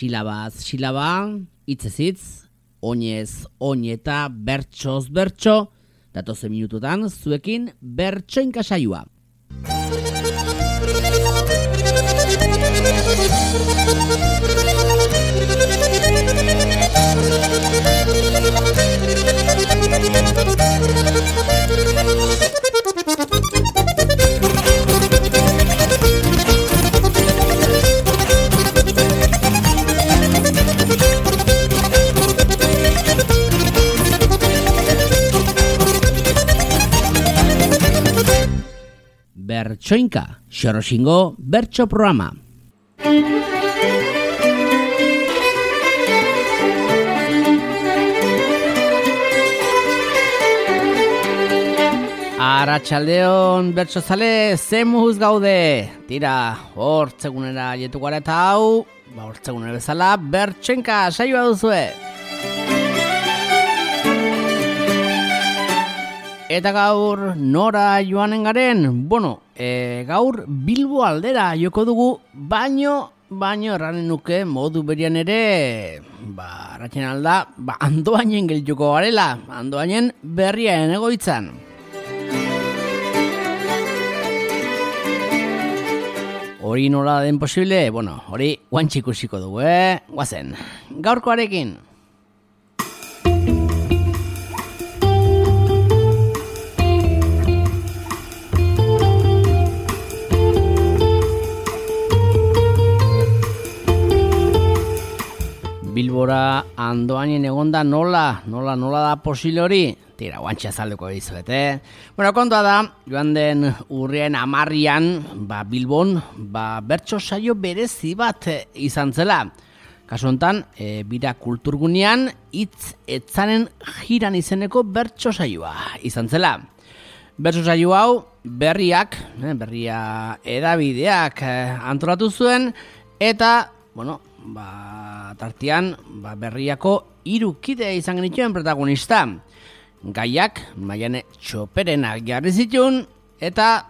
Silabaz silaba, hitzez hitz, oinez oineta, bertsoz bertso, datozen minututan zuekin bertsoinka saioa. Bertsoinka, Xoroxingo bertso programa. Arratsaldeon bertsozale, zemuz gaude. Tira, hortzegunera jetu gara eta hau, hortzegunera bezala bertsoinka saioa duzue. Eta gaur nora joanen garen? Bueno, gaur Bilbo aldera joko dugu, baino erranen nuke modu berian ere, ratzen alda, Andoainen geldituko garela, Andoainen berriaren egoitzan. Hori nola den posible? Bueno, hori guantxe ikusiko dugu, guazen. Gaurkoarekin. Bilbora Andoainen egonda nola da posible hori? Tira, guantxe azalduko dizuet, Bueno, kontua da, joan den urriaren 10 Bilbon, bertso saio berezi bat izan zela. Kasu honetan, bira kulturgunean, hitz etzanen jiran izeneko bertso saioa izan zela. Bertso saio hau, berria edabideak antolatu zuen, eta, tartean, berriako 3 kide izan genituen protagonista. Gaiak Maiane Txoperenak jarri zituen, eta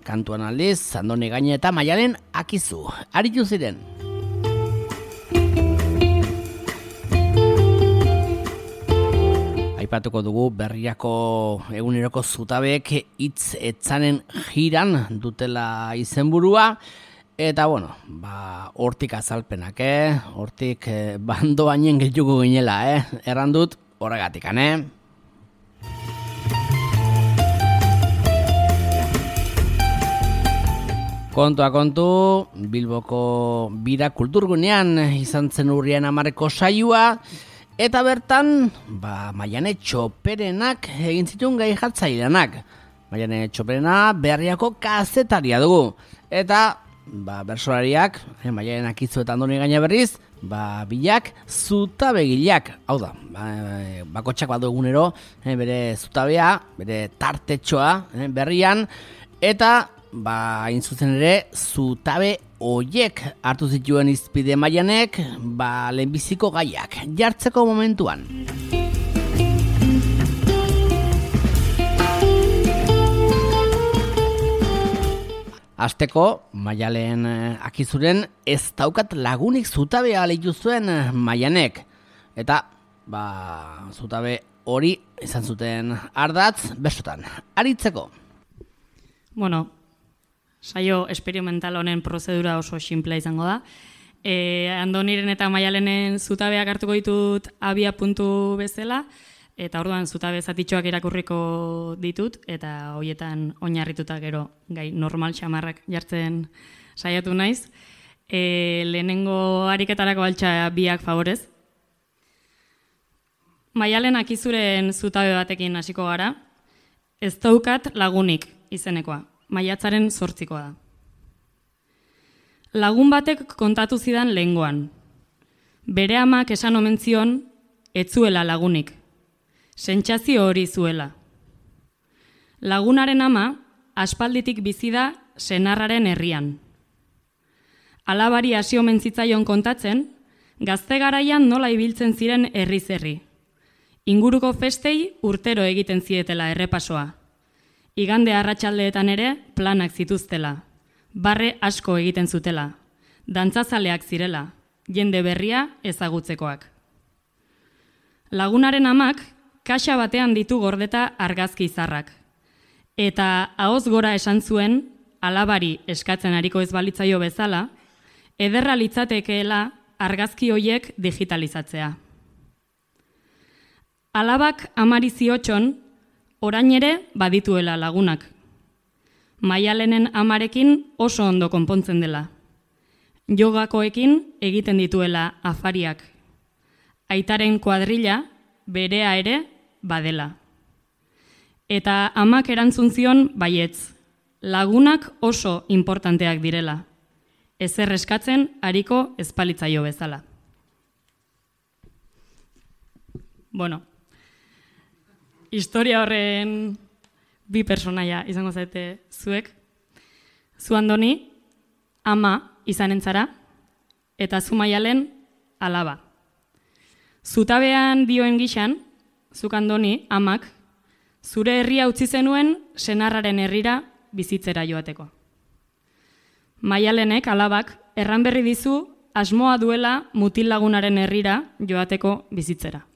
kantuan aldiz Andone Gaine eta Maialen Akizu aritu ziren. Aipatuko dugu berriako eguneroko zutabek hitz etzanen jiran dutela izenburua, eta hortik azalpenak, hortik Andoainen geldituko ginela, erran dut horregatikan, Kontua kontu, Bilboko bira kulturgunean izan zen urrian 10 saioa, eta bertan, Maiane Txoperenak egin zituen gai jartzaileanak. Maiane Txoperena berriako kazetaria dugu, eta bersolariak, Maialen Akizu eta Andone Gaine berriz, bilak zutabegileak. Hau da, bakotxak badu egunero, bere zutabea, bere tartetxoa berrian, eta hain zuzen ere, zutabe oiek hartu zituen izpide Maianek, lehenbiziko gaiak jartzeko momentuan. Hasteko, Maialen Akizuren ez daukat lagunik zutabea leitu zuen Maianek. Eta, zutabe hori izan zuten ardatz bersotan. Aritzeko. Bueno, saio esperimental honen prozedura oso sinplea izango da. Andoniren eta Maialenen zutabeak hartuko ditut abia puntu bezala, eta orduan zutabe zatitxoak irakurriko ditut, eta hoietan oinarrituta gero gai normal xamarrak jartzen saiatu naiz. Lehenengo ariketarako altxa biak favorez. Maialen Akizuren zutabe batekin hasiko gara. Ez daukat lagunik izenekoa. Maiatzaren 8 da. Lagun batek kontatu zidan lehengoan. Bere amak esan omen zion, ez zuela lagunik. Sentsazio hori zuela. Lagunaren ama, aspalditik bizi da senarraren herrian. Alabari hasi omen zitzaion kontatzen, gazte garaian nola ibiltzen ziren herriz herri. Inguruko festei urtero egiten zietela errepasoa. Igande arratsaldeetan ere planak zituztela. Barre asko egiten zutela. Dantzazaleak zirela. jende berria ezagutzekoak. Lagunaren amak kaxa batean ditu gordeta argazki izarrak. Eta ahoz gora esan zuen, alabari eskatzen ariko ez balitzaio bezala, ederra litzatekeela argazki hoiek digitalizatzea. Alabak amari ziotxon, orain ere badituela lagunak. Maialenen amarekin oso ondo konpontzen dela. Jogakoekin egiten dituela afariak. Aitaren kuadrilla berea ere badela. Eta amak erantzun zion baietz, lagunak oso importanteak direla. Ezer eskatzen ariko ezpalitzaio bezala. Bueno, historia horren bi personaia izango zaite zuek. Zu Andoni, ama izanen zara, eta zu Maialen alaba. Zutabean dioen gixan, zuk Andoni, amak, zure herria utzi zenuen senarraren herrira bizitzera joateko. Maialenek alabak erran berri dizu asmoa duela mutil lagunaren herrira joateko bizitzera.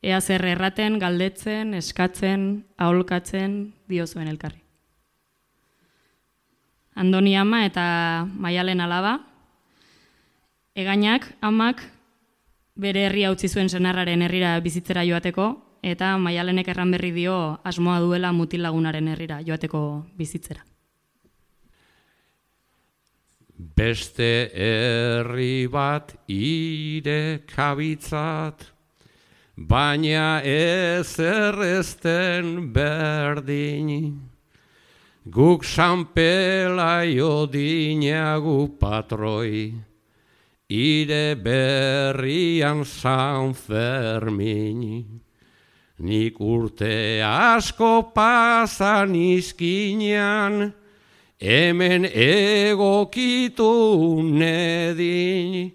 Ea zer erraten, galdetzen, eskatzen, aholkatzen diozuen elkarri. Andoni ama eta Maialen alaba, egainak amak bere herria utzi zuen senarraren herrira bizitzera joateko, eta Maialenek erran berri dio asmoa duela mutil lagunaren herrira joateko bizitzera. Beste herri bat ire kabitzat, baina ez errezten berdin. Guk sanpelaio dinagu patroi, ire berrian San Fermin. Nik urte asko pasan izkinean, hemen egokitu nedin,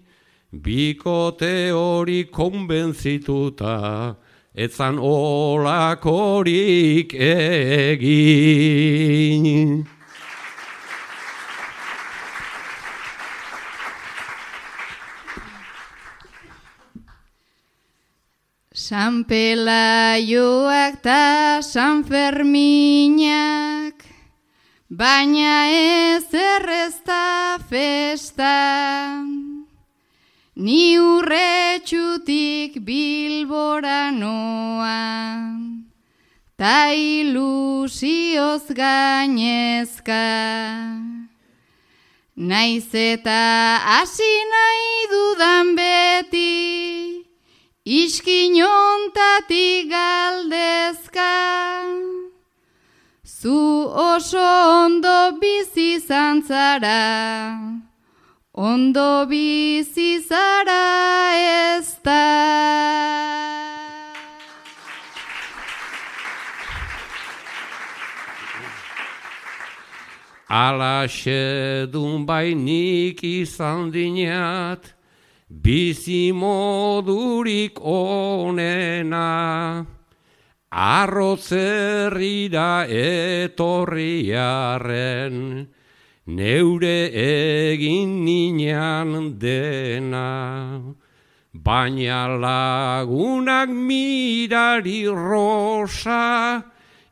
bikote hori konbentzituta, etzan olakorik egin. San Pelaioak ta San Ferminak, baina ez errezta festa. Ni urretxutik Bilbora noa, ta ilusioz gainezka. Naiz eta hasi nahi dudan beti, iskinontatik galdezka. Zu oso ondo bizi zantzara, ondo bizi zara ez da. Alaxe dun bainik izan dinat, bizi modurik onena, arrotzerrira etorriaren, neure egin ninan dena. Baina lagunak mirari rosa,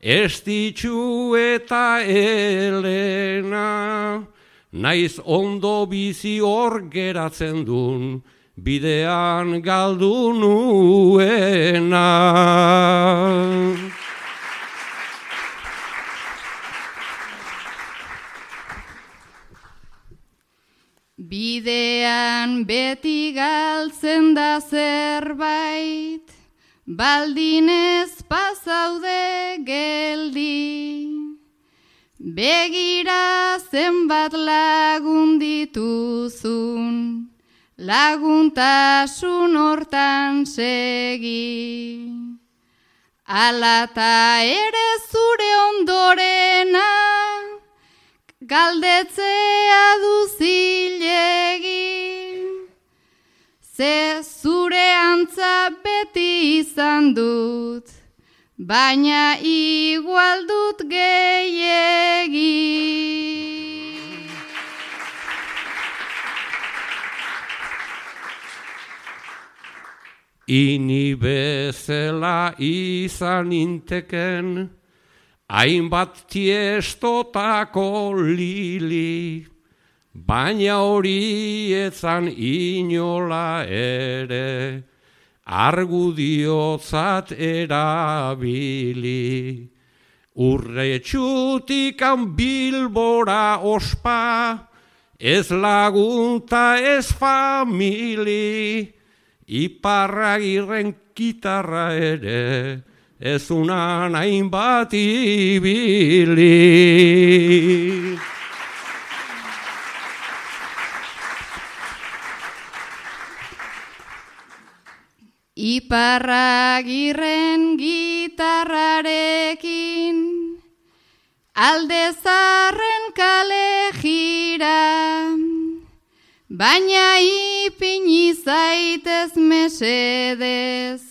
estitxu eta Elena, naiz ondo bizi hor geratzen dun, bidean galdu nuena. Bidean beti galtzen da zerbait, baldin ez pasaude geldi. Begira zenbat lagun dituzun, laguntasun hortan segi. Alata ere zure ondorena, galdetzea duzilegi. Ze zure antza beti izan dut, baina igual dut gehiegi. ini bezala izan inteken, hainbat tiestotako lili, baina hori etzan inola ere, argudiotzat erabili. Urretxutikan Bilbora ospa, ez lagunta ez famili, Iparragirren gitarra ere, ez unan hainbat ibili. Iparragirren gitarrarekin, alde zarren kale jira, baina ipini zaitez mesedez,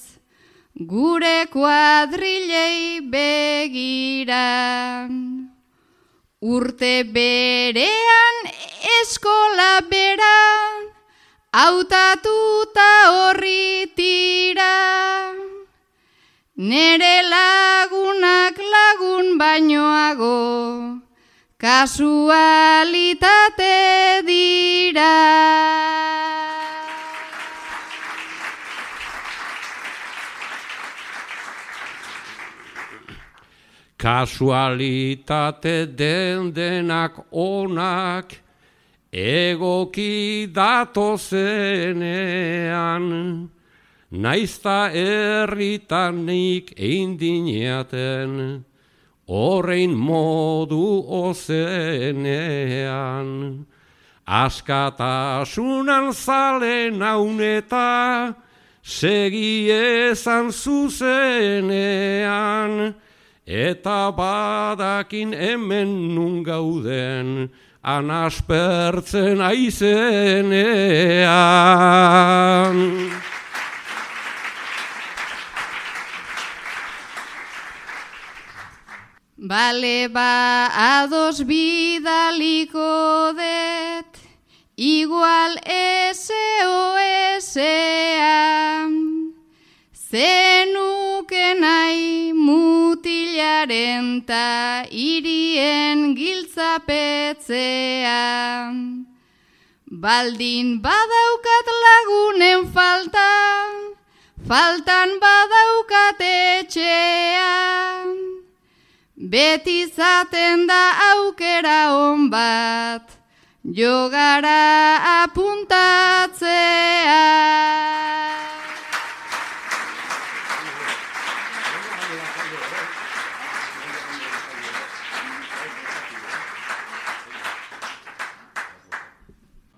gure kuadrilei begira. Urte berean eskola bera, hautatuta horri tira. Nere lagunak lagun bainoago, kasualitate dira. Kasualitate denak onak, egoki datozenean, naizta herritanik eindineaten, horrein modu ozenean. Askatasunan zale nauneta, segi ezan zuzenean, eta badakin hemen nun gauden, anaspertzen aizenean. Bale ba ados bidaliko det, igual SOS-a, zenuke nahi mutilaren ta irien giltzapetzea. Baldin badaukat lagunen faltan badaukat etxea. Beti zaten da aukera on bat, jogara apuntatzea.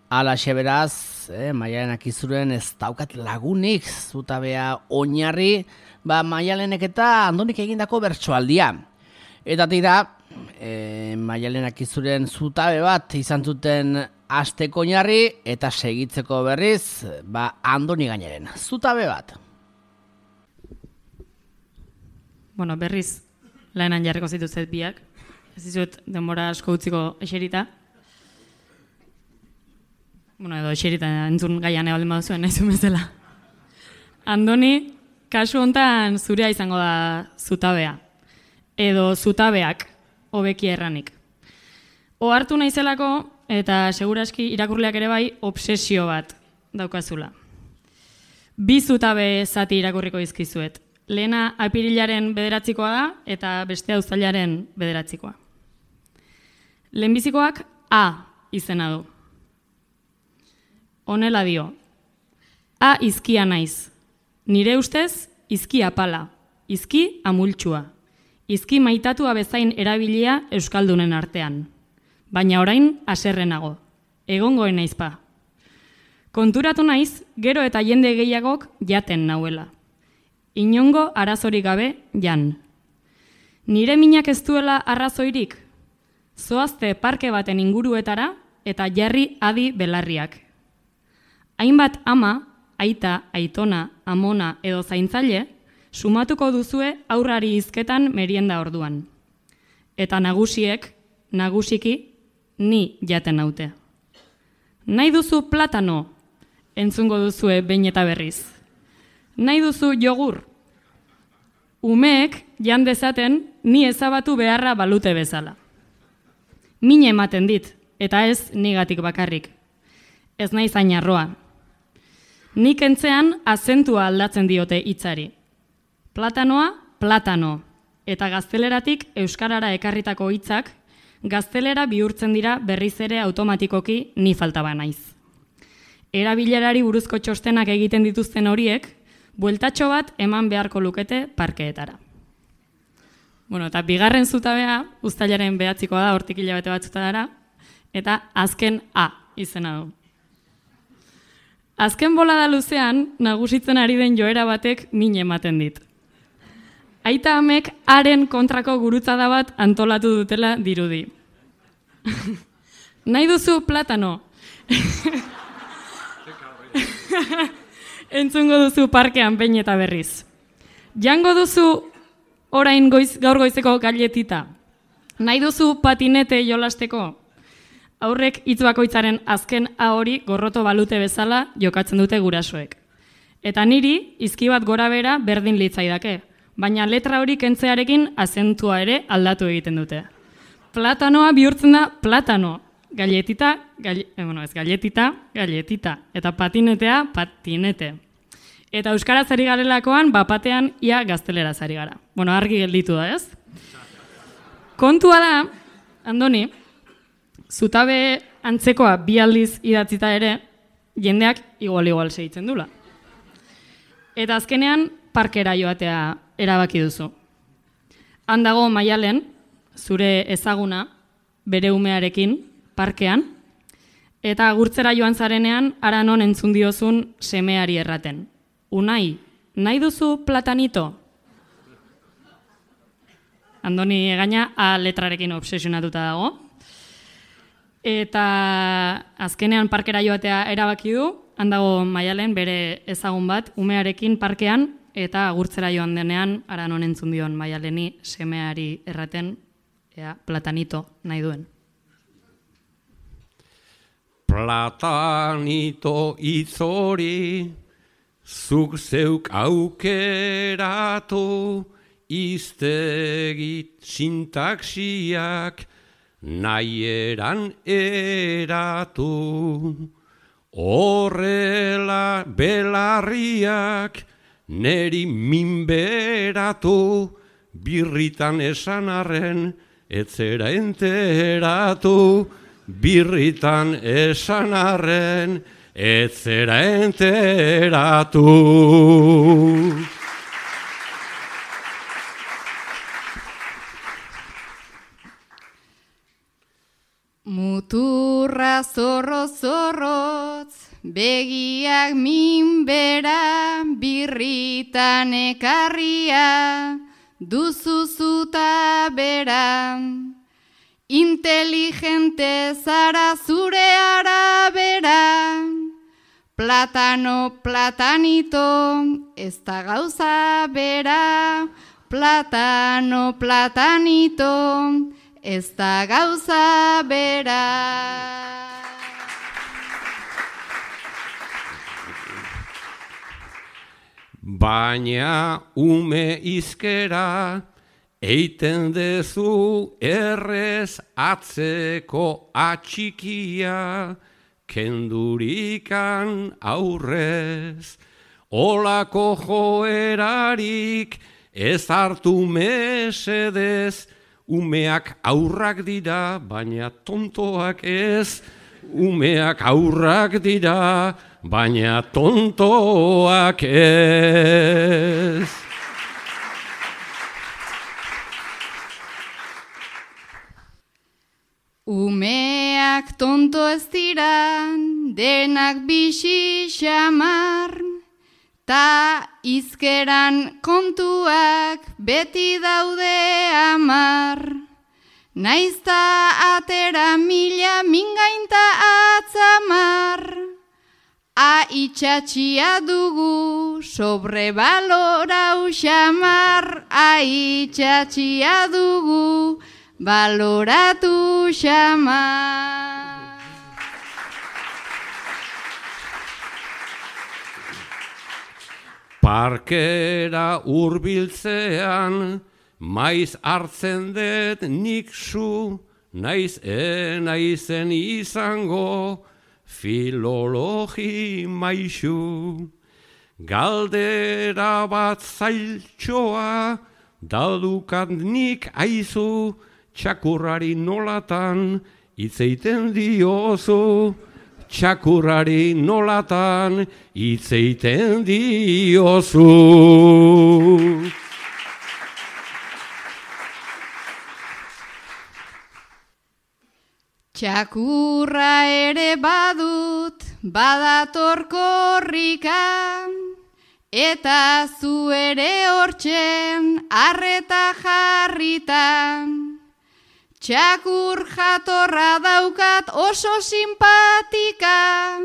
Alaxe beraz, Maialen Akizuren ez daukat lagunik, zutabea oinarri, Maialenek eta Andonik egindako bertsoaldia. Eta tira, Maialen Akizuren zutabe bat izan zuten asteko oinarri eta segitzeko berriz, Andoni gaineren. Zutabe bat. Bueno, berriz, laenan jarriko zituzet biak. Ez dizut denbora asko utziko eserita. Bueno, edo eserita entzun gaian ebaldin baduzuen nahi zuen bezala. Andoni, kasu hontan zurea izango da zutabea. Edo zutabeak, hobeki erranik. Ohartu naizelako, eta seguraski irakurleak ere bai, obsesio bat daukazula. 2 zutabe zati irakurriko dizkizuet. Lehena apirilaren 9koa da, eta bestea uztailaren 9koa. Lehenbizikoak A izena du. Honela dio. A izkia naiz. Nire ustez, izki apala. Izki amultsua. Izki maitatua bezain erabilia euskaldunen artean. Baina orain haserrenago. Egongoen naizpa. Konturatu naiz, gero eta jende gehiagok jaten nauela. Inongo arazorik gabe jan. Nire minak ez duela arrazoirik. Zoazte parke baten inguruetara eta jarri adi belarriak. Hainbat ama, aita, aitona, amona edo zaintzaile, sumatuko duzue aurrari hizketan merienda orduan. Eta nagusiki, ni jaten naute. Nahi duzu platano, entzungo duzue behin eta berriz. Nahi duzu jogur? Umeek jan dezaten ni ezabatu beharra balute bezala. Min ematen dit, eta ez nigatik bakarrik. Ez naiz hain arroa. Nik entzean azentua aldatzen diote hitzari. Platanoa, platano. Eta gazteleratik euskarara ekarritako hitzak, gaztelera bihurtzen dira berriz ere automatikoki ni faltaba naiz. Erabilerari buruzko txostenak egiten dituzten horiek, bueltatxo bat eman beharko lukete parkeetara. Bueno, eta bigarren zutabea, uztailaren 9koa da, hortik hilabete batzutara, eta azken A izena du. Azken bolada luzean, nagusitzen ari den joera batek min ematen dit. Aita amek haren kontrako gurutzada bat antolatu dutela dirudi. Nahi duzu platano? Entzungo duzu parkean behin eta berriz. Jango duzu orain gaur goizeko galletita. Nahi duzu patinete jolasteko? Aurrek hitz bakoitzaren azken A hori gorroto balute bezala jokatzen dute gurasoek. Eta niri izki bat gora bera berdin litzaidake, baina letra hori kentzearekin azentua ere aldatu egiten dute. Platanoa bihurtzen da platano, galletita, galletita, eta patinetea, patinete. Eta euskaraz ari garelakoan, bapatean ia gazteleraz ari gara. Bueno, argi gelditu da, ez? Kontua da, Andoni, zutabe antzekoa 2 aldiz idatzita ere, jendeak igual segitzen dula. Eta azkenean, parkera joatea erabaki duzu. Handago Maialen, zure ezaguna, bere umearekin, parkean, eta agurtzera joan zarenean, hara non entzun diozun semeari erraten. Unai, nahi duzu platanito? Andoni gaina A letrarekin obsesionatuta dago. Eta azkenean parkera joatea erabaki du, handago Maialen bere ezagun bat, umearekin parkean, eta agurtzera joan denean, hara non entzun dion Maialeni semeari erraten, platanito nahi duen. Platanito itzori, zuk zeuk aukeratu, iztegit sintaxiak nahieran eratu. Horrela belarriak neri minberatu, birritan esan arren etzera enteratu, birritan esan arren etzera enteratu. Muturra zorrotz, begiak minbera, birritan ekarria, duzu zuta bera. Inteligente zara zure arabera, platano, platanito, ez da gauza bera, platano, platanito, ez da gauza bera. Baina ume izkera, eiten dezu errez atzeko atxikia, kendurikan aurrez. Olako joerarik ez hartu mesedez, umeak aurrak dira, baina tontoak ez. Umeak aurrak dira, baina tontoak ez. Umeak tonto ez dira, denak bixi xamar, ta izkeran kontuak beti daude amar. Naizta atera mila mingainta atzamar, a itxatxia dugu sobrebalorau xamar, a itxatxia dugu baloratu xamar. Parkera hurbiltzean, maiz hartzen dut nik zu, naiz naizen izango, filologi maisu. Galdera bat zailtxoa, daudukat nik aizu, txakurrari nolatan hitzeiten diozu. Txakurrari nolatan hitzeiten diozu. Txakurra ere badut, badator korrika, eta zu ere hortzen arreta jarritan. Txakur jatorra daukat oso simpatika,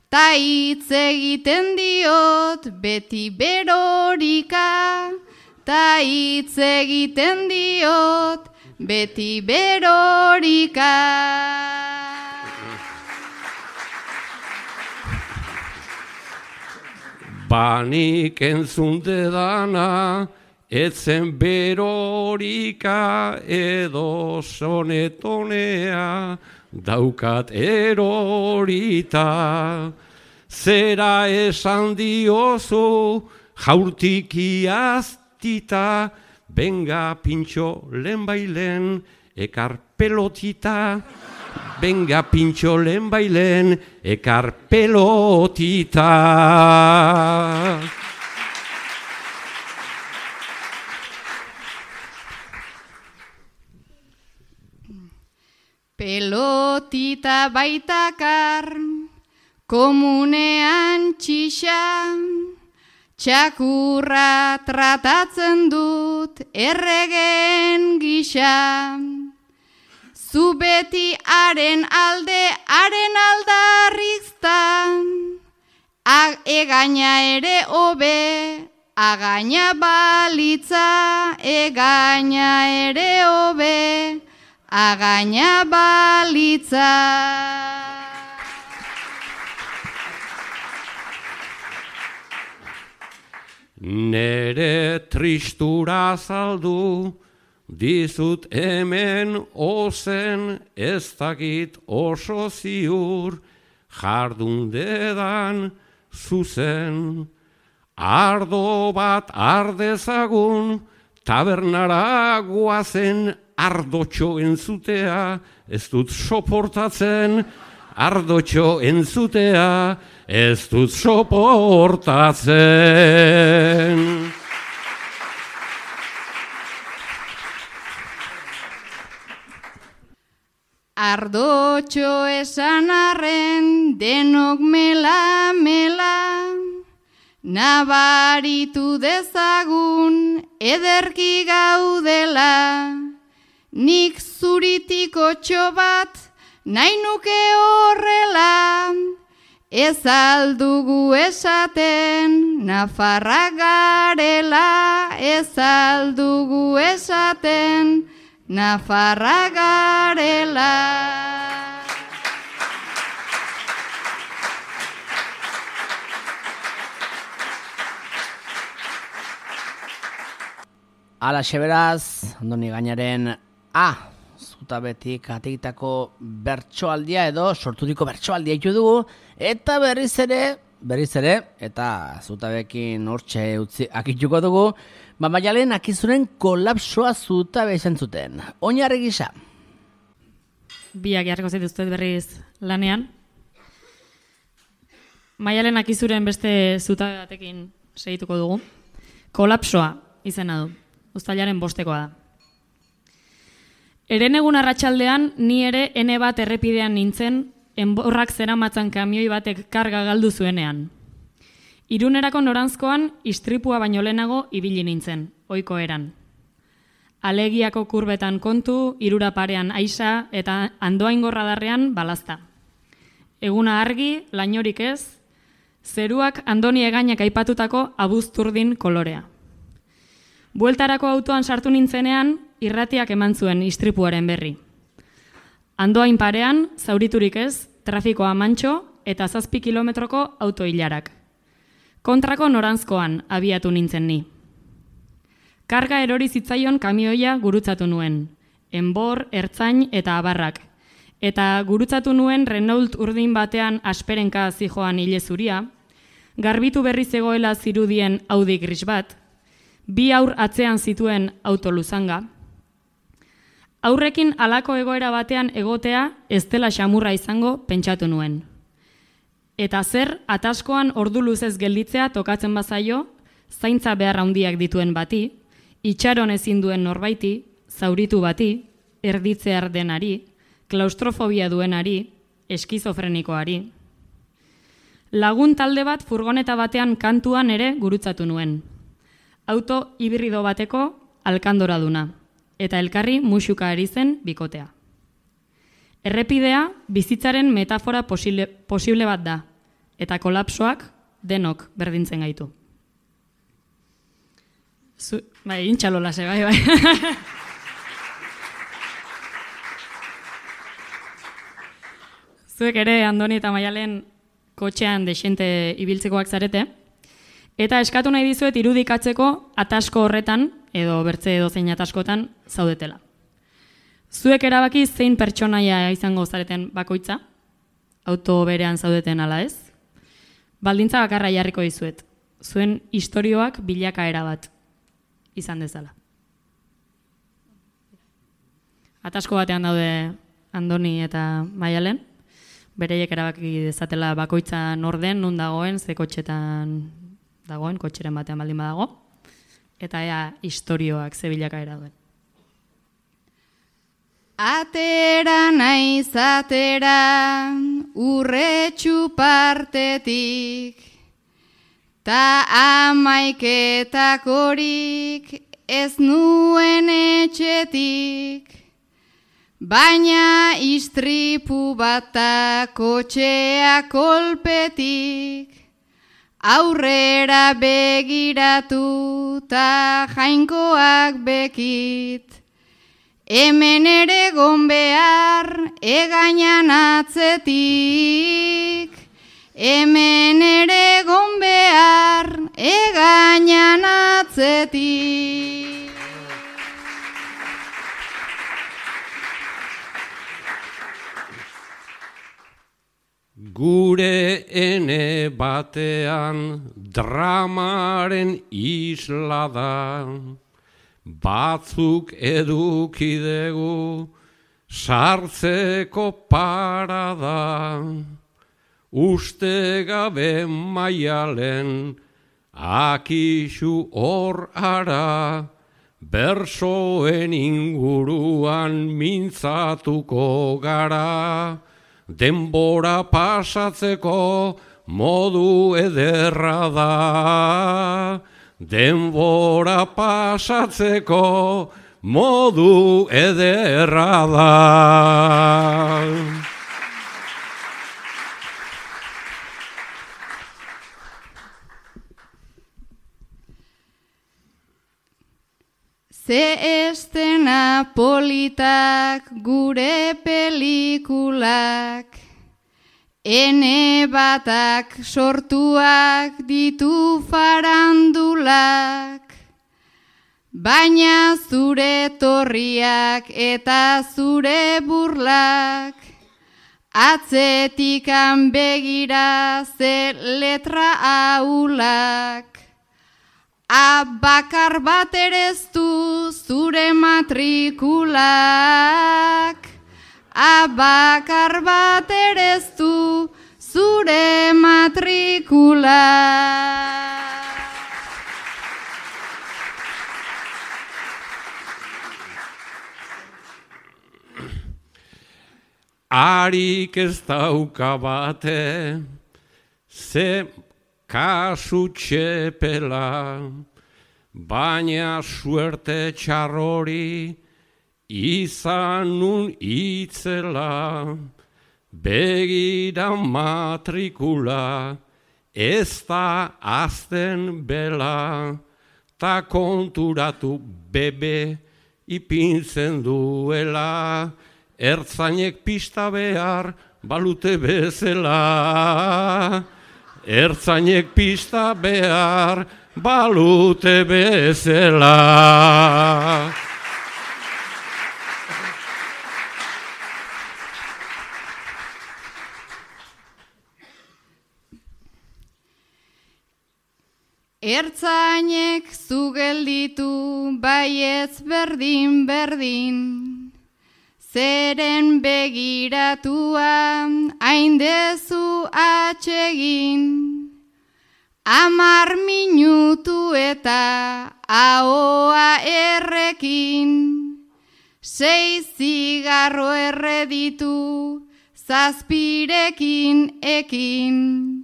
ta hitz egiten diot beti berorika, ta hitz egiten diot beti berorika. Banik entzun dedana, etzen berorika edo sonetonea, daukat erorita. Zera esan diozu, jaurtik iaztita, benga pintxo lehenbailen, ekar pelotita. Benga pintxo lehenbailen, ekar pelotita. Pelotita baitakar, komunean txixa, txakurra tratatzen dut erregen gisa. Zu beti haren alde, haren aldarriztan, egaina ere hobe, againa balitza, egaina ere hobe, againa balitza. Nere tristura saldu, dizut hemen ozen, ez dakit oso ziur, jardun dedan zuzen. Ardo bat ardezagun, tabernara guazen, ardotxo entzutea, ez dut soportatzen, ardotxo entzutea, ez dut soportatzen. Ardotxo esan arren denok mela, nabaritu dezagun ederki gaudela. Nik zuritiko txobat nahi nuke horrela, ez aldugu esaten nafarrak garela, ez aldugu esaten nafarrak garela. Alaxe beraz, Andoni Gainaren zutabetik ateitako bertsoaldia edo sorturiko bertsoaldia ditu dugu, eta berriz ere, eta zutabekin hortxe utzi akituko dugu, Maialen Akizuren kolapsoa zutabe izan zuten. Oinarri gisa. Biak jarriko zaituztet berriz lanean. Maialen Akizuren beste zutabe batekin segituko dugu. Kolapsoa izena du. Uztailaren 5koa da. Eren egun arratsaldean ni ere ene bat errepidean nintzen, enborrak zeramatzan kamioi batek karga galdu zuenean. Irunerako noranzkoan istripua baino lehenago ibili nintzen, ohiko eran. Alegiako kurbetan kontu, irura parean aisa eta andoaingorra darrean balazta. Eguna argi, lainorik ez, zeruak Andoni Egainak aipatutako abuzturdin kolorea. Bueltarako autoan sartu nintzenean, irratiak eman zuen istripuaren berri. Andoain parean, zauriturik ez, trafikoa mantxo eta 7 kilometroko autoilarak. Kontrako noranzkoan abiatu nintzen ni. Karga erori zitzaion kamioia gurutzatu nuen, enbor, ertzain eta abarrak. Eta gurutzatu nuen Renault urdin batean asperenka zijoan ile zuria, garbitu berri zegoela zirudien Audi gris bat, 2 aur atzean zituen auto luzanga. Aurrekin halako egoera batean egotea ez dela xamurra izango pentsatu nuen. Eta zer ataskoan ordu luzez gelditzea tokatzen bazaio, zaintza behar handiak dituen bati, itxaron ezin duen norbaiti, zauritu bati, erditzear denari, klaustrofobia duenari, eskizofrenikoari. Lagun talde bat furgoneta batean kantuan ere gurutzatu nuen. Auto hibrido bateko alkandora duna, eta elkarri musuka ari zen bikotea. Errepidea bizitzaren metafora posible bat da, eta kolapsoak denok berdintzen gaitu. Bai, intxalolase, bai. Zuek ere, Andoni eta Maialen, kotxean desente ibiltzekoak zarete, eta eskatu nahi dizuet irudikatzeko atasko horretan, edo bertze edozein ataskotan, zaudetela. Zuek erabaki zein pertsonaia izango zareten bakoitza, auto berean zaudeten ala ez, baldintza bakarra jarriko dizuet, zuen istorioak bilakaera bat izan dezala. Atasko batean daude Andoni eta Maialen, bereiek erabaki dezatela bakoitza norden, nun dagoen, ze kotxetan dagoen, kotxeren batean baldin badago, eta ea istorioak ze bilakaera duen. Atera naiz atera urretxu partetik, ta amaiketakorik ez nuen etxetik, baina istripu bata kotxea kolpetik, aurrera begiratu ta jainkoak bekit, hemen ere gon behar egainan atzetik, hemen ere gon behar egainan atzetik. Gure ene batean dramaren isla da, batzuk edukidegu sartzeko parada, uste gabe Maialen akixu hor ara, bersoen inguruan mintzatuko gara, denbora pasatzeko modu ederra da. Denbora pasatzeko modu ederra da. Ze estena politak gure pelikulak, ene batak sortuak ditu farandulak, baina zure torriak eta zure burlak, atzetikan begira ze letra ahulak. Abakar bat ere ez du zure matrikulak, abakar bat ere ez du zure matrikulak. Harik ez dauka bate, ze kasu txepela, baina suerte txarrori izan nun itzela, begira matrikula ez da azten bela, ta konturatu bebe ipintzen duela, ertzainek pista behar balute bezala. ertzainek pista behar balute bezala. Ertzainek zu gelditu baietz berdin, zeren begiratua haindezu atsegin. 10 minutu eta ahoa errekin, 6 zigarro erreditu 7 ekin.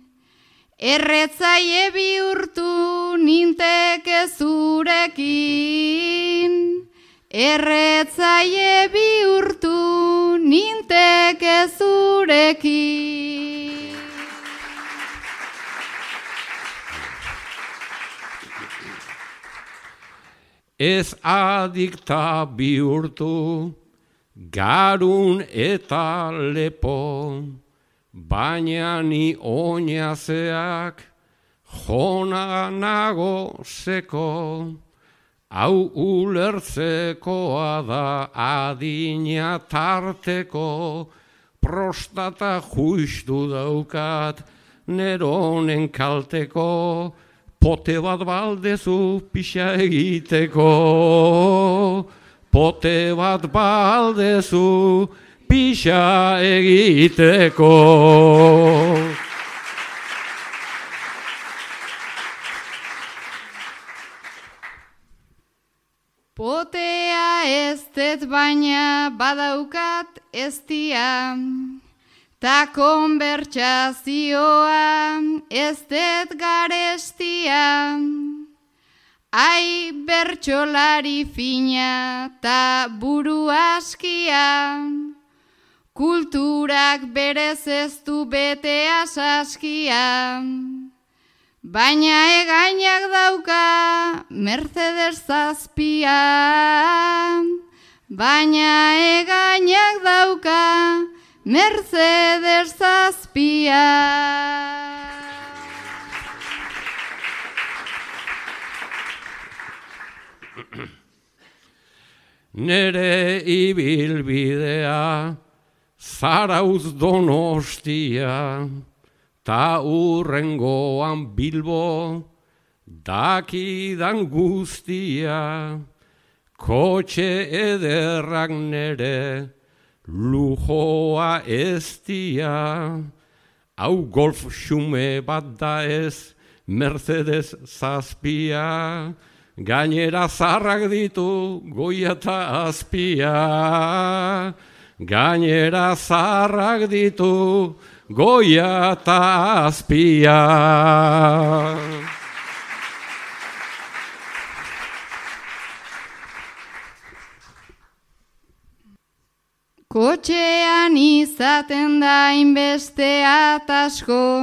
Erretzaile bihurtu ninteke zurekin, erretzaile bihurtu ninteke zurekin. Ez adikta bihurtu, garun eta lepo, baina ni oinazeak jona nago seko, hau ulertzekoa da adina tarteko, prostata juistu daukat neronen kalteko, pote bat baldezu pixa egiteko, pote bat baldezu pixa egiteko. Potea ez dut baina badaukat eztia, ta konbertsazioa ez dut garestia. Ai bertsolari fina ta buru askia, kulturak berez ez du betea saskia. Baina egainak dauka Mercedes 7, baina egainak dauka Mercedes 7. Nere ibilbidea Zarautz Donostia, ta urrengoan Bilbo dakidan guztia, kotxe ederrak nere lujoa eztia, hau golf xume bat da ez Mercedes 7, gainera zarrak ditu goia eta azpia, gainera zarrak ditu goia eta azpia. Kotxean izaten da inbeste atasko,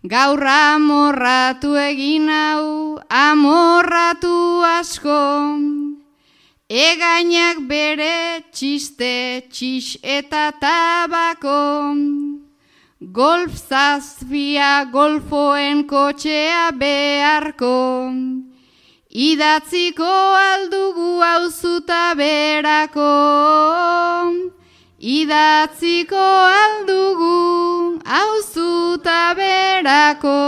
gaur amorratu egin hau, amorratu asko. Egainak bere txiste, txix eta tabako, golf 7 golfoen kotxea beharko, idatziko aldugu auzuta berako, idatziko aldugu auzuta berako.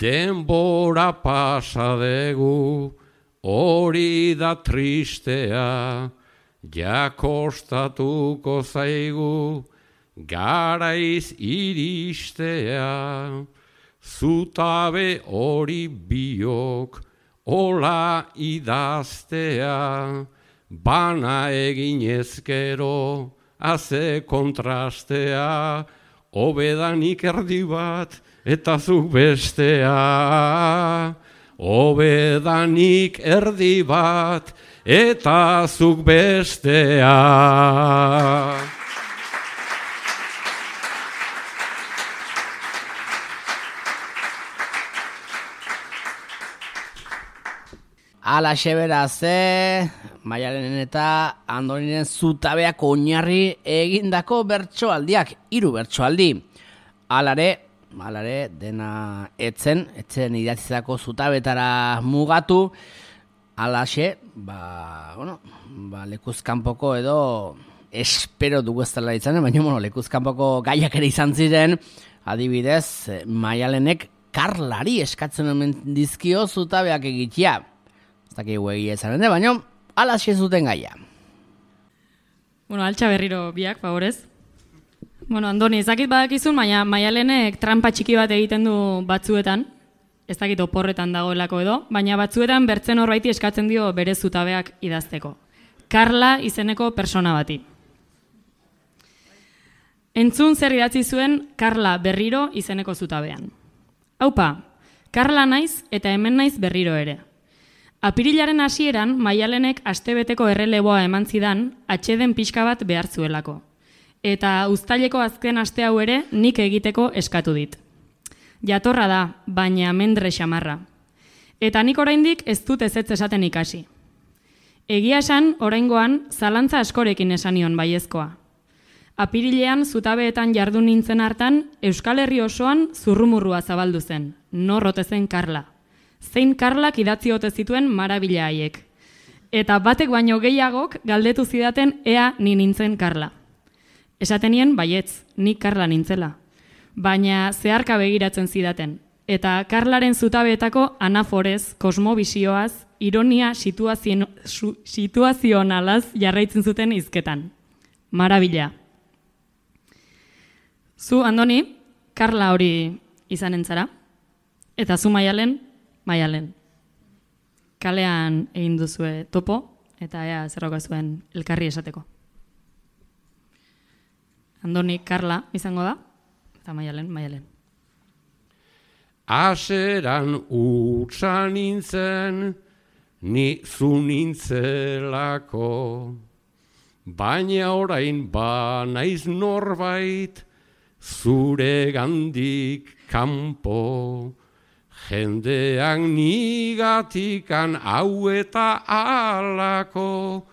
Denbora pasa degu, hori da tristea, jakostatuko zaigu, garaiz iristea, zutabe hori biok, ola idaztea, bana egin ezkero, haze kontrastea, hobedanik erdi bat, eta zuk bestea, hobedanik erdi bat, eta zuk bestea. Alaxe beraz, Maialenen eta Andoniren zutabeak oinarri egindako bertsoaldiak, 3 bertsoaldi. Alare dena etzen idatzizako zutabetara mugatu, alaxe, lekuzkanpoko edo espero dugu ez dela izan, baina lekuzkanpoko gaiak ere izan ziren, adibidez, Maialenek Karlari eskatzen omen dizkio zutabeak egitea. Ez dakigu egia izan, baina alaxe zuten gaia. Altxa berriro biak, favorez. Andoni, ezakit badakizun, baina Maialenek trampa txiki bat egiten du batzuetan, ez dakit oporretan dagoelako edo, baina batzuetan bertzen horbaiti eskatzen dio bere zutabeak idazteko. Karla izeneko persona bati. Entzun zer idatzi zuen Karla berriro izeneko zutabean. Haupa, Karla naiz eta hemen naiz berriro ere. Apirilaren hasieran Maialenek astebeteko erreleboa eman zidan atxeden pixka bat behar zuelako. Eta uztaileko azken aste hau ere nik egiteko eskatu dit. Jatorra da, baina mendre xamarra. Eta nik oraindik ez dut ezetz esaten ikasi. Egia esan, oraingoan, zalantza askorekin esan nion baiezkoa. Apirilean zutabeetan jardun nintzen hartan, Euskal Herri osoan zurrumurrua zabaldu zen, norrote zen Karla. Zein Karlak idatzi ote zituen marabila haiek. Eta batek baino gehiagok galdetu zidaten ea ni nintzen Karla. Esatenien baietz, nik Karla nintzela. Baina zeharka begiratzen zidaten. Eta Karlaren zutabeetako anaforez, kosmobisioaz, ironia situazionalaz jarraitzen zuten hizketan. Marabila. Zu, Andoni, Karla hori izanen zara. Eta zu Maialen. Kalean egin duzue topo, eta ea zerroka zuen elkarri esateko. Andoni, Karla izango da, eta Maialen. Aseran utsa nintzen, ni zu nintzelako, baina orain naiz norbait, zure gandik kanpo, jendean nigatikan hau eta alako,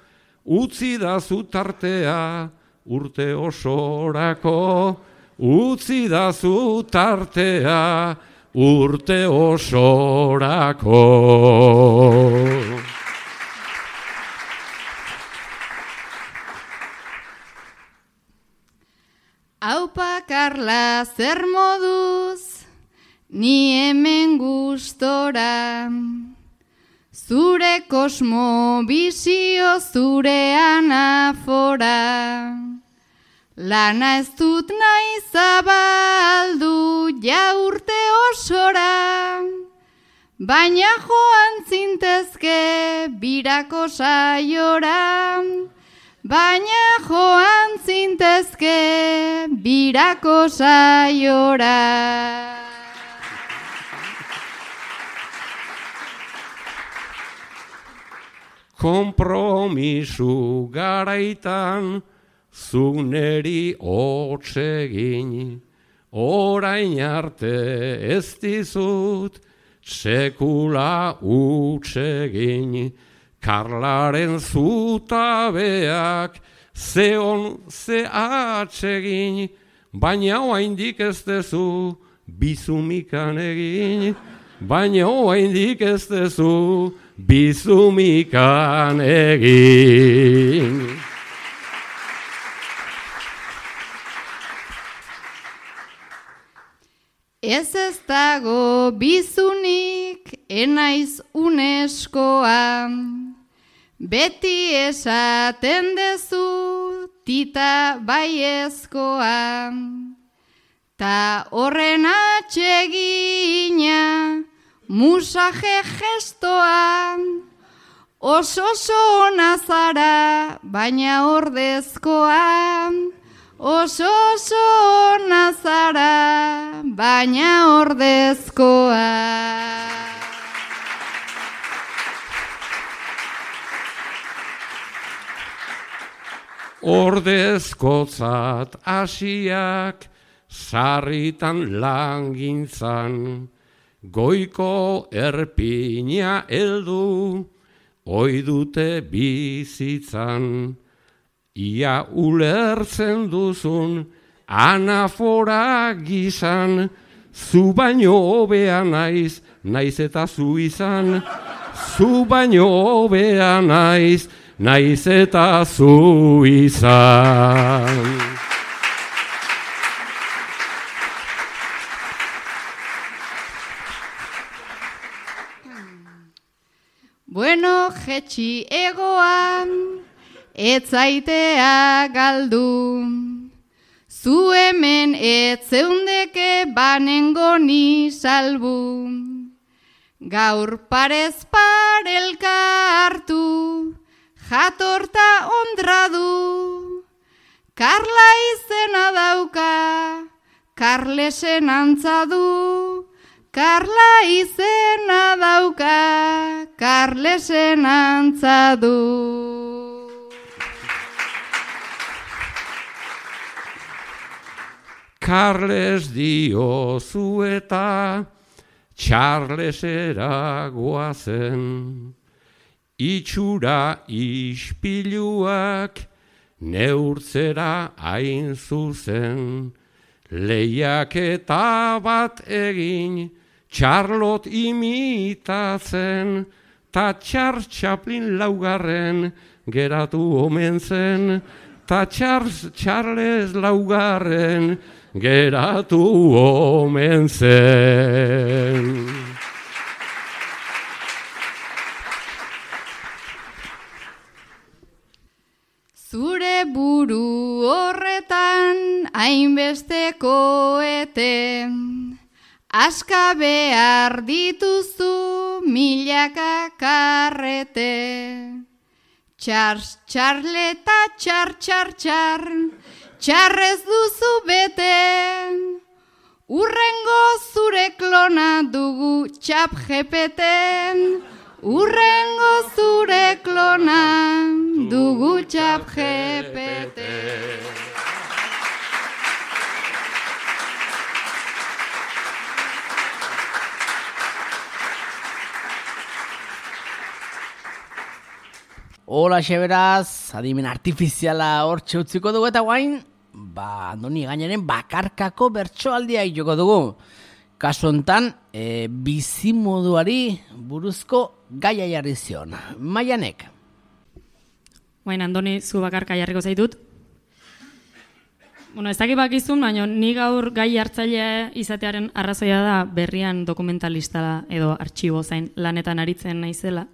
utzi da zutartea urte osorako, utzi da zutartea urte osorako. Aupa Karla zer moduz, ni hemen gustora, zure kosmo bizio zure anafora. Lana ez dut nahi zabaldu jaurte osora, baina joan zintezke birako saiora, baina joan zintezke birako saiora. Konpromisu garaitan zuk neri hotsegin, orain arte ez dizut sekula utsegin. Karlaren zutabeak zeon ze atsegin, baina oraindik ez dezu bizumikan egin, baina oraindik ez dezu bizumikan egin. Ez dago bizunik enaiz uneskoa, beti esaten dezu tita baiezkoa, ta horren atsegina musaje gestoa, oso ona zara baina ordezkoa, oso ona zara baina ordezkoa. Ordezkotzat hasiak sarritan langintzan, goiko erpina heldu oi dute bizitzan, ia ulertzen duzun, anafora gizan, zu baino hobea naiz, naiz eta zu izan, zu baino hobea naiz, naiz eta zu izan. Bueno, jetxi egoan, etzaitea galdu. Zu hemen etzeundeke banengo ni salbu. Gaur parez parelka hartu, jatorta ondradu. Karla izena dauka, Karlesen antza du. Karla izena dauka, Karlesen antza du. Karles diozu eta Charlesera goazen, itxura ispiluak neurtzera hain zuzen, lehiaketa bat egin Charlotte imitatzen, ta Charles Chaplin laugarren geratu omen zen, ta Charles laugarren geratu omen zen. Zure buru horretan hainbeste koete, aska behar dituzu milaka karrete. Txarle eta txarrez duzu bete, urrengo zure klona dugu ChatGPT. Urrengo zure klona dugu ChatGPT. Hola, beraz, adimen artifiziala hortxe utziko dugu eta guain, Andoni Egañaren bakarkako bertsoaldia joko dugu. Kasu hontan, bizimoduari buruzko gaia jarri zion. Maianek. Baina, Andoni, zu bakarka jarriko zaitut. Bueno, ez dakit bakizun, baina ni gaur gai hartzailea izatearen arrazoia da berrian dokumentalista edo artxibo zain lanetan aritzen naizela.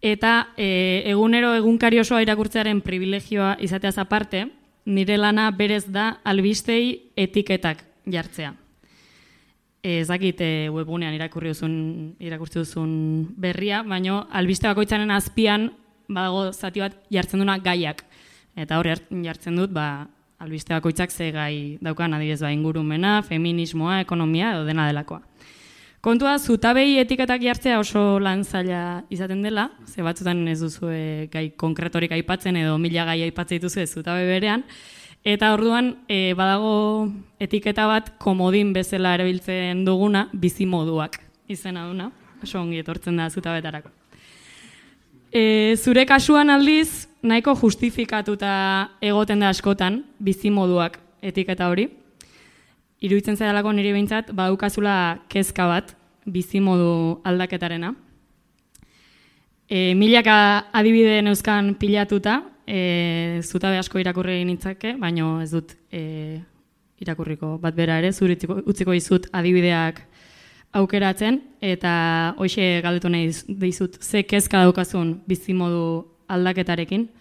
Eta egunero egunkari osoa irakurtzearen privilegioa izateaz aparte, nire lana berez da albistei etiketak jartzea. Ez dakit webgunean irakurtzi duzun berria, baina albiste bakoitzaren azpian badago zati bat jartzen duna gaiak. Eta hori jartzen dut albiste bakoitzak ze gai daukan, adibidez ingurumena, feminismoa, ekonomia edo dena delakoa. Kontua, zutabei etiketak jartzea oso lan zaila izaten dela, ze batzutan ez duzu gai konkretorik aipatzen edo 1000 gai aipatzen dituzu zutabe berean, eta orduan badago etiketa bat komodin bezala erabiltzen duguna bizimoduak izena duna, oso ongi etortzen da zutabetarako. Zure kasuan aldiz, nahiko justifikatuta egoten da askotan bizimoduak etiketa hori. Iruditzen zaidalako niri behintzat, badukazula kezka bat bizimodu aldaketarena. Milaka adibide neuzkan pilatuta, zutabe asko irakurri nitzake, baina ez dut irakurriko bat bera ere, zuri utziko dizut adibideak aukeratzen, eta hoxe galdetu nahi dizut, ze kezka daukazun bizimodu aldaketarekin,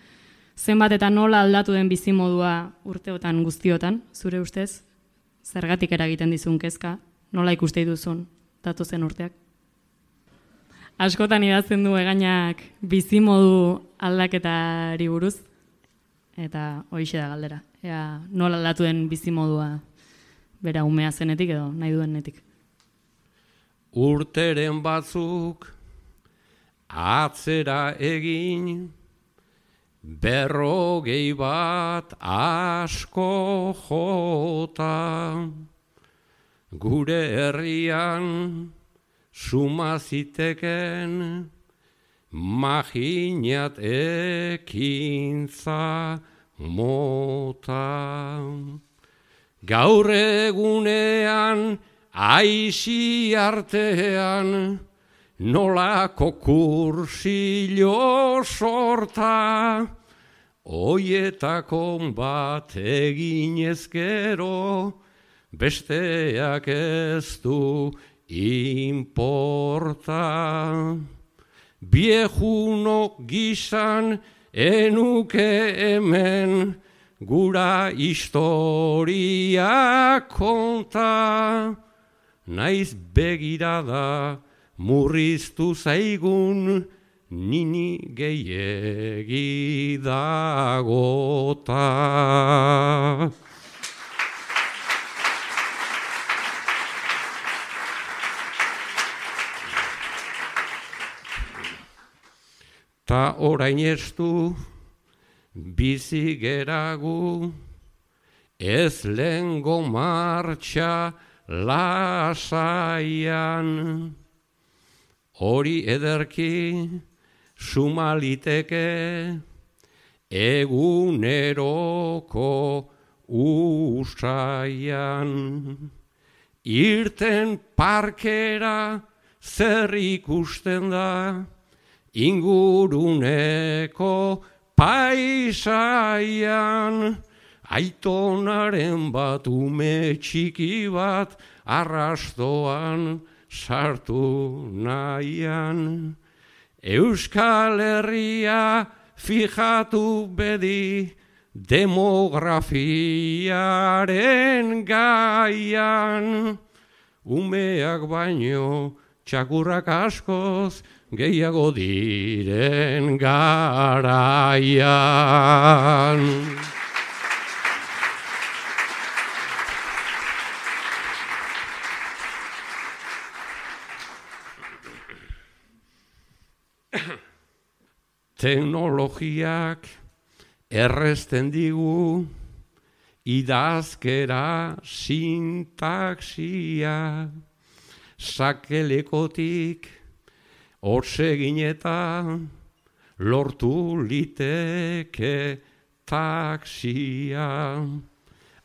zenbat eta nola aldatu den bizimodua urteotan guztiotan, zure ustez? Zergatik eragiten dizun kezka, nola ikuste dituzun datozen urteak. Askotan idazten du Egañak bizimodu aldaketari buruz, eta horixe da galdera. Ea, nola aldatu den bizimodua bera umea zenetik edo nahi duenetik. Urteren batzuk atzera egin, 50 asko jota, gure herrian suma ziteken maginat ekintza mota. Gaur egunean, aisi artean, nolako kursillo sorta, oietako bat egin ezkero, besteak ez du importa. Viejuno gisan enuke hemen, gura historia konta, naiz begirada murriztu zaigun, nini gehiegi dagota. Ta orain estu, bizi geragu, ez lehengo martxa lasaian. Hori ederki sumaliteke eguneroko usaian. Irten parkera zer ikusten da, inguruneko paisaian, aitonaren bat ume txiki bat arrastoan sartu nahian. Euskal Herria fijatu bedi demografiaren gaian, umeak baino txakurrak askoz gehiago diren garaian. Teknologiak errezten digu idazkera sintaxia, sakelekotik hotsegin eta lortu liteke taxia.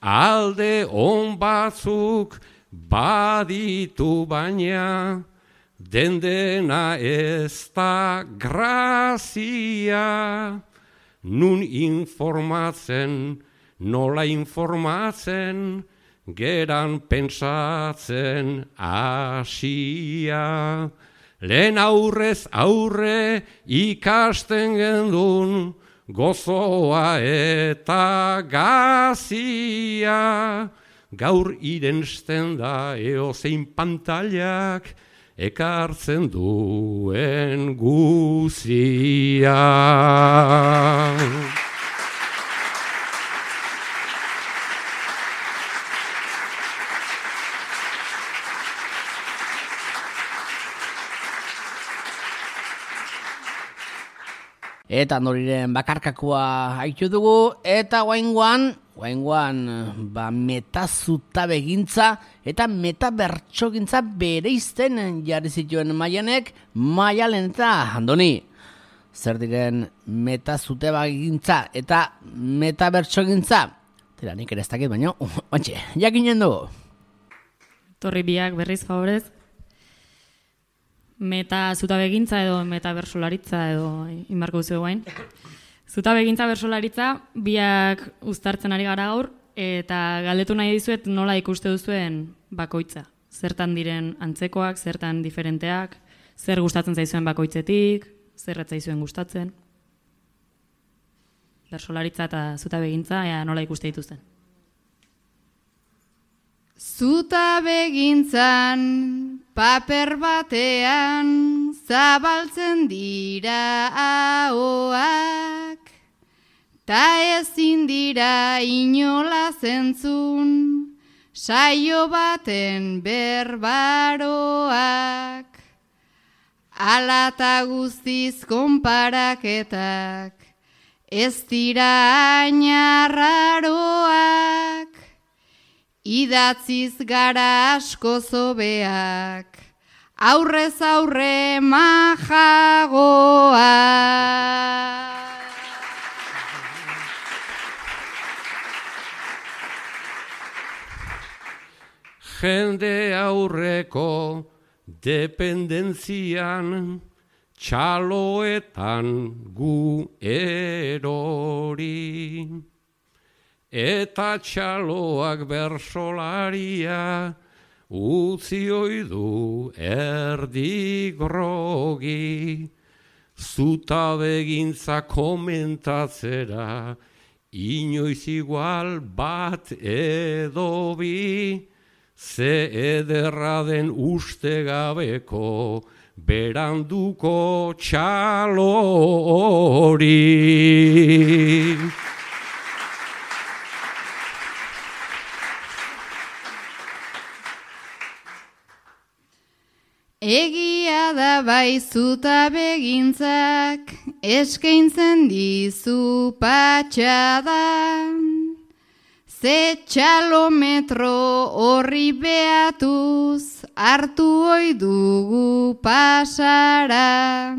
Alde on batzuk baditu baina, dendena ez da grazia. Nun informatzen, nola informatzen, geran pentsatzen hasia. Lehen aurrez aurre ikasten gendun, gozoa eta gazia. Gaur irensten da eozein pantailak, ekartzen duen guzia. Eta Noriren bakarkakua haitu dugu, eta guaingoan metazutabe-gintza eta metabertsogintza bereizten jarri zituen Maianek, Maialen eta Andoni. Zer diren metazutabe-gintza eta metabertsogintza? Tera, nik ere ez dakit, baina, bantxe, jakinen dugu. Torri biak berriz favorez. Meta-zutabegintza edo metabersolaritza edo inbarko duzu guain. Zutabegintza bersolaritza biak uztartzen ari gara gaur, eta galdetu nahi dizuet nola ikuste duzuen bakoitza. Zertan diren antzekoak, zertan diferenteak, zer gustatzen zaizuen bakoitzetik, zer ez zaizuen gustatzen. Bersolaritza eta zutabegintza nola ikuste dituzten. Zutabegintzan paper batean zabaltzen dira ahoak, ta ezin dira inola zentzun saio baten berbaroak. Alata guztiz konparaketak ez dira ainarraroak, idatziz gara asko zobeak, aurrez aurre majagoa. Jende aurreko dependentzian, txaloetan gu erori. Eta txaloak bersolaria utzi oidu erdi grogi. Zutabegintza komentatzera, inoiz igual bat edo bi. Ze ederra den uste gabeko, beranduko txalo hori. Egia da bai zutabegintzak, eskaintzen dizu patxada. Ze txalometro horri behatuz, hartu ohi dugu pasara.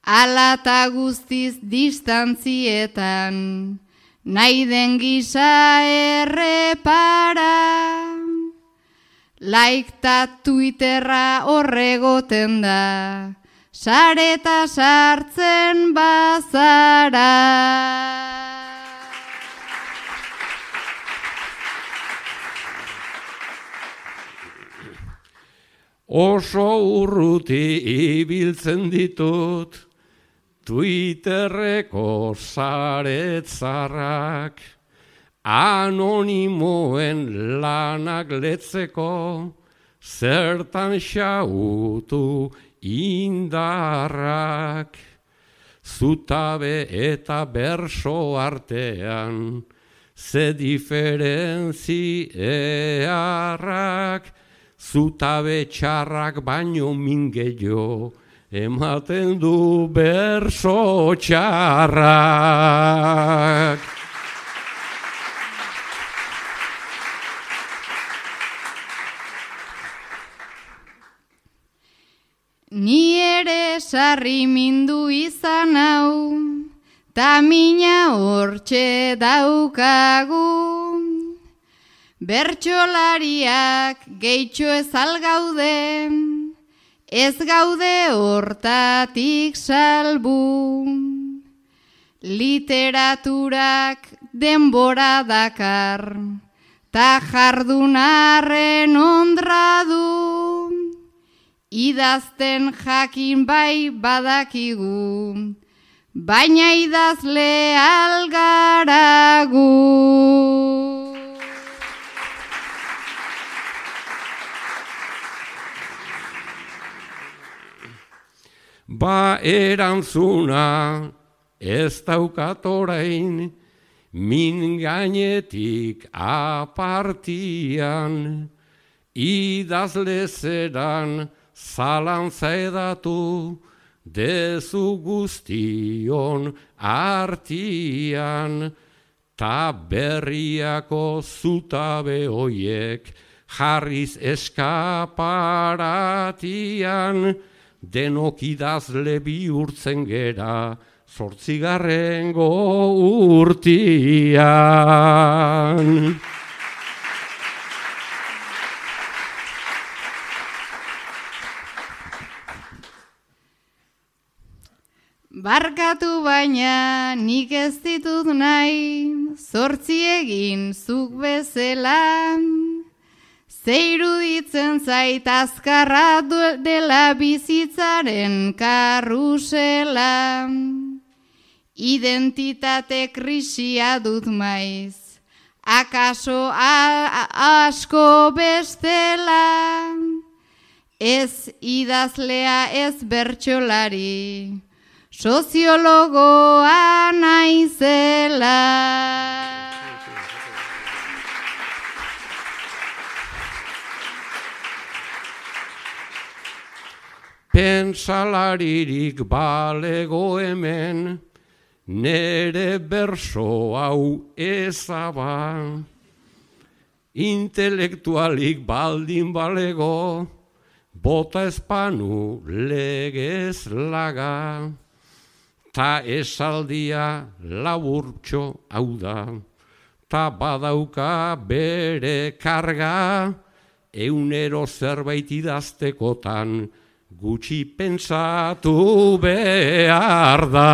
Ala guztiz distantzietan, nahi den gisa errepara. Laikta Twitterra horregoten da, sareta sartzen bazara. Oso urruti ibiltzen ditut, Twitterreko saretzarrak, anonimoen lanak letzeko, zertan xautu indarrak. Zutabe eta berso artean, ze diferentziarrak, zutabe txarrak baino mingeio, ematen du berso txarrak. Ni ere sarri mindu izan hau, ta mina hortxe daukagu. Bertsolariak gehitxo ez algaude, ez gaude hortatik salbu. Literaturak denbora dakar, ta jardunarren ondra du. Idazten jakin bai badakigu, baina idazle algaragu. Ba erantzuna ez daukat orain, min gainetik apartian, idazle zeran zalantza edatu, dezu guztion artian, ta berriako zutabe hoiek jarriz eskaparatian, denok idazle bihurtzen gera, 8. urtian. Barkatu baina nik ez ditut nahi, 8 egin zuk bezala. Ze iruditzen zait azkarra dela bizitzaren karrusela. Identitate krisia dut maiz, akaso asko bestela. Ez idazlea ez bertsolari, soziologoa naizela. Pentsalaririk balego hemen, nere berso hau ezaba. Intelektualik baldin balego, bota espanu legez laga, ta esaldia laburtxo hau da, ta badauka bere karga, eunero zerbait idaztekotan, gutxi pentsatu behar da.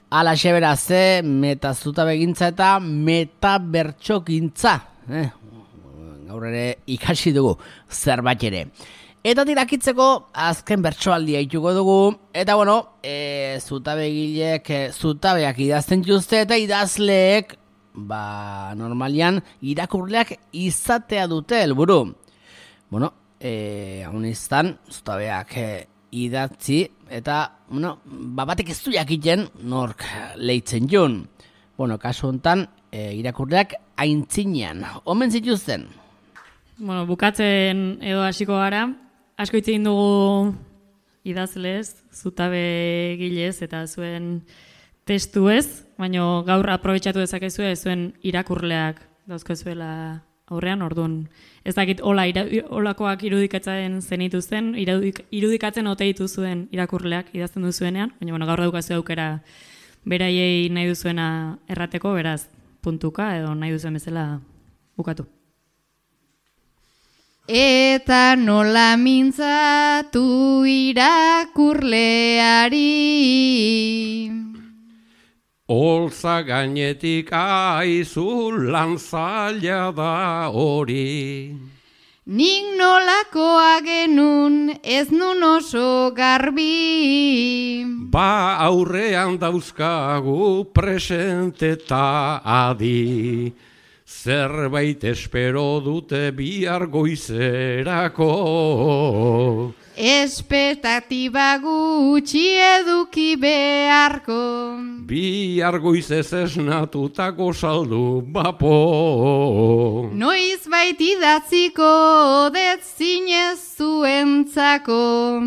Alaxe beraz, metazutabe-gintza eta metabertsokintza. Gaur ere ikasi dugu zerbait ere. Eta tirakitzeko azken bertsoaldia ituko dugu. Eta bueno, zutabegileek zutabeak idazten dituzte eta idazleek normalian irakurleak izatea dute helburu. Bueno, haunistan zutabeak idatzi eta batek ez du jakiten nork leitzen jun. Bueno, kasu honetan irakurleak aintzinean omen zituzten. Bueno, bukatzen edo hasiko gara, asko hitz egin dugu idazlez, zutabegilez eta zuen testuez, baina gaur aprobetxatu dezakezue zuen irakurleak dauzkazuela aurrean, orduan. Ez dakit olakoak irudikatzen zenituzten, irudikatzen ote dituzuen irakurleak idazten duzuenean, baina gaur daukazu aukera beraiei nahi duzuena errateko, beraz puntuka edo nahi duzuen bezala bukatu. Eta nola mintzatu irakurleari, Olza gainetik aizu lan zaila da hori. nik nolakoa genun ez nun oso garbi. Ba aurrean dauzkagu presente eta adi. Zerbait espero dute bihar goizerako. Espektatiba gutxi eduki beharko. Bihar goizez esnatutako saldu bapo. Noiz bait idatziko det zinez zuentzako,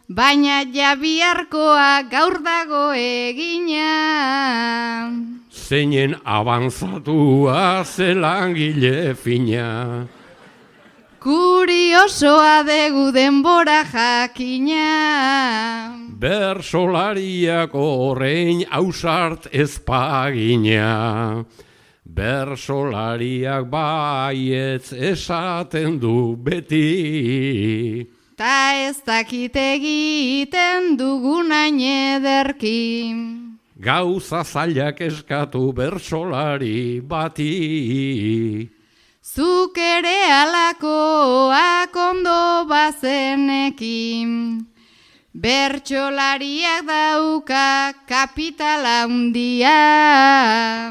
baina ja biharkoa gaur dago egina. Zeinen avanzatua zelangile fina. Kuriosoa degu denbora jakina. Bersolariak horrein ausart ezpagina. Bersolariak baietz esaten du beti. Ta ez dakit egiten dugunain ederki. Gauza zailak eskatu bersolari bati. Zuk ere alakoak ondo bazenekin. Bertsolariak dauka kapitala handia.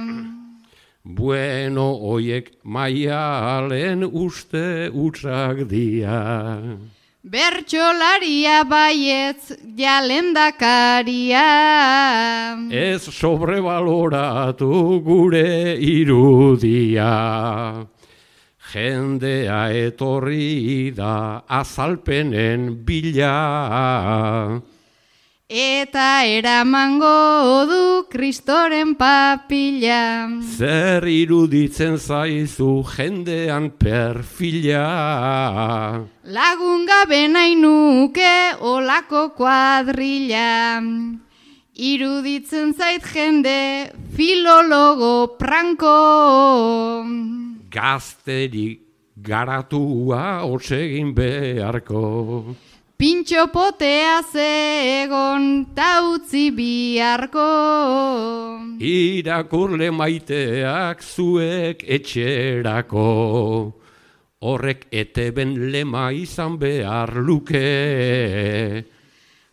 Bueno, oiek maialen uste utrak dia. Bertsolaria baietz jalendakaria. Ez sobrebaloratu gure irudia. Jendea etorri da azalpenen bila. Eta eramango du Kristoren papila. Zer iruditzen zaizu jendean perfila. Lagun gabe nahi nuke olako kuadrilla. Iruditzen zait jende filologo pranko. Gazterik garatua otsegin beharko. Pintxo potea zegon ta utzi biharko. Irakurle maiteak zuek etxerako. Horrek eteben lema izan behar luke.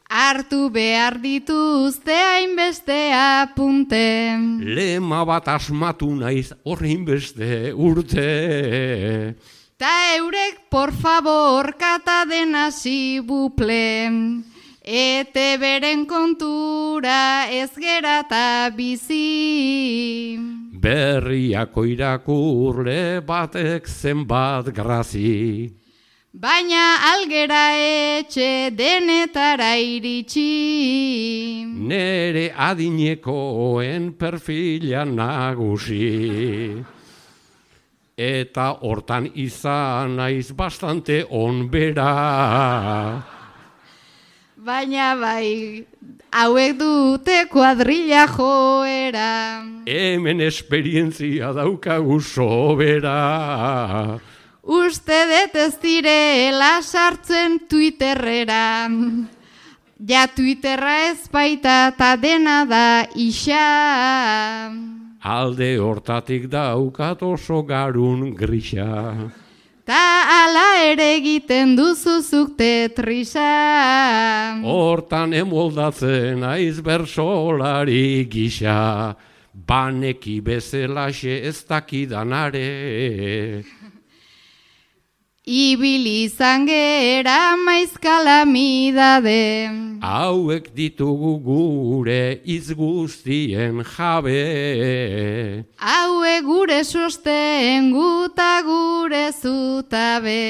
Hartu behar dituzte hainbeste apunte. Lema bat asmatu naiz horrein beste urte. Ta eurek, por favor, kata dena buple. Ete beren kontura ez gerata bizi. Berriako irakurle batek zenbat grazi. baina algera etxe denetara iritsi. Nere adinekoen perfila nagusi. Eta hortan izan naiz bastante onbera. Baina bai, hauek dute kuadrilla joera. Hemen esperientzia daukagu sobera. Uste dut ez direla sartzen Twitterrera. Ja Twitterra ez baita ta dena da isa. Alde hortatik daukat oso garun grisa. Ta ala ere egiten duzuzuk Tetrisa. Hortan emoldatzen aiz bersolari gisa. Baneki bezelaxe ez dakidanare. Ibili izan gera maiz kalamidade. Hauek ditugu gure hitz guztien jabe. Hauek gure sosten guta gure zutabe.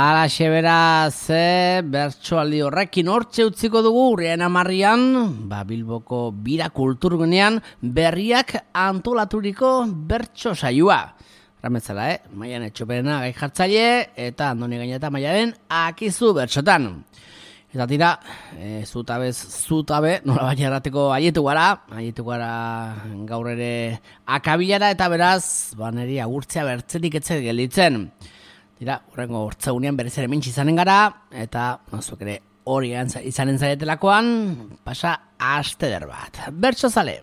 Alaxe beraz, bertsoaldi horrekin hortxe utziko dugu urriaren 10 Bilboko bira kulturgunean berriak antolaturiko bertso saioa. Rametzala, Maiane Txoperena gai jartzaile eta Andoni Gaineta Maialen akizu bertsotan. Eta tira, zutabe, nola baina errateko aietu gara gaur ere akabilara eta beraz, neri agurtzea bertzetik etzet gelditzen. Tira, horrengo hortzaunean berriz ere mentsi izanen gara, eta zuek ere hori izanen zaretelakoan, pasa aste der bat. Bertso zale!